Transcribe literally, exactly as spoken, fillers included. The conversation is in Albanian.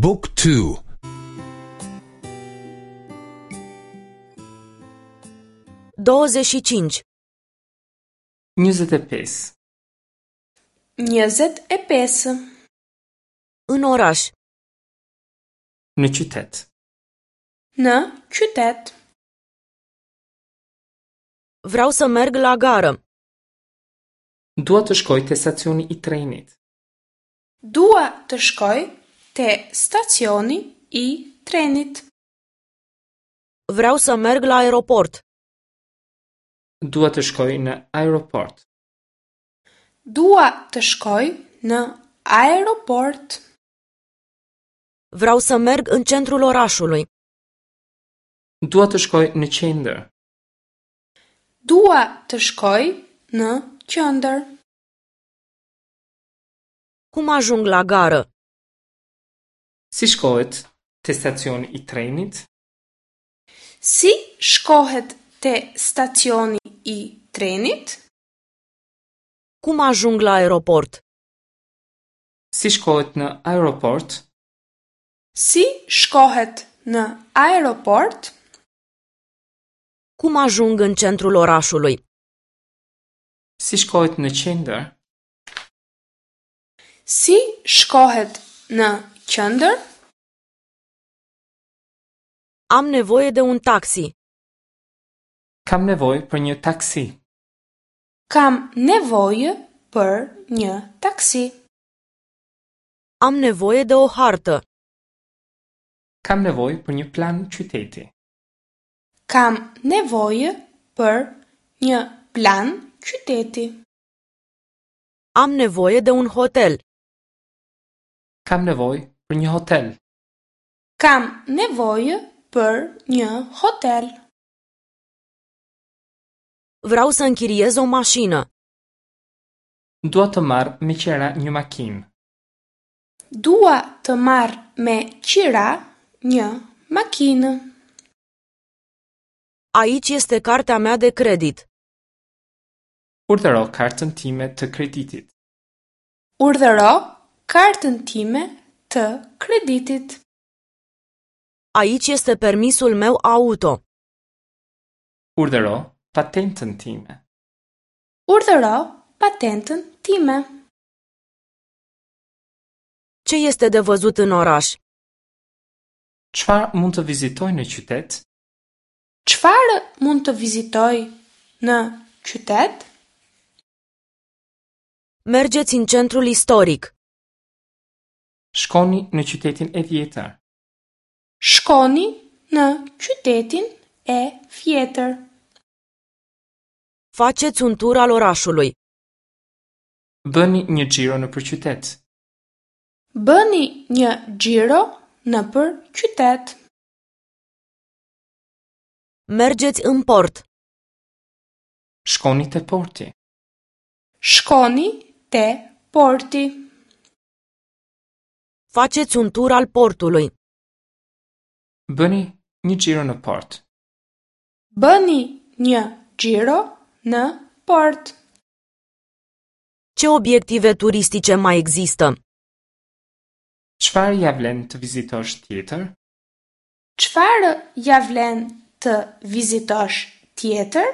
Book two. douăzeci și cinci. Njëzet e pesë. Njëzet e pesë. În oraș. Në qytet. Në qytet. Vreau să merg la gară. Dua të shkoj te stacioni i trenit. Dua të shkoj te stacioni i trenit. Vreau să merg la aeroport. Dua të shkoj në aeroport. Dua të shkoj në aeroport. Vreau să merg în centrul orașului. Dua të shkoj në qendër. Dua të shkoj në qendër. Cum ajung la gară? Si shkohet te stacioni i trenit? Si shkohet te stacioni i trenit? Cum ajung la aeroport? Si shkohet në aeroport? Si shkohet në aeroport? Cum ajung în centrul orașului? Si shkohet në qendër? Si shkohet në qendër? Am nevoie de un taxi. Kam nevojë për një taksi. Kam nevojë për një taksi. Am nevoie de o hartă. Kam nevojë për një plan qyteti. Kam nevojë për një plan qyteti. Am nevoie de un hotel. Kam nevojë për një hotel. Kam nevojë për një hotel. Vreau să închiriez o mașină. Dua të marr me qira një makinë. Dua të marr me qira një makinë. Aici este cartea mea de credit. Urdhëro kartën time të kreditit. Urdhëro kartën time të kreditit. Aici este permisul meu auto. Urdhëro patentën time. Urdhëro patentën time. Ce este de văzut în oraș? Çfarë mund të vizitoj në qytet? Çfarë mund të vizitoj në qytet? Mergeți în centrul istoric. Shkoni në qytetin e vjetër. Shkoni në qytetin e vjetër. Faceți un tur al orașului. Bëni një xhiro nëpër qytet. Bëni një xhiro nëpër qytet. Mergeți în port. Shkoni te porti. Shkoni te porti. Faceți un tur al portului. Bëni një xhiro në port. Bëni një xhiro në port. Ce obiective turistice mai există? Çfarë ja vlen të vizitosh tjetër? Çfarë ja vlen të vizitosh tjetër?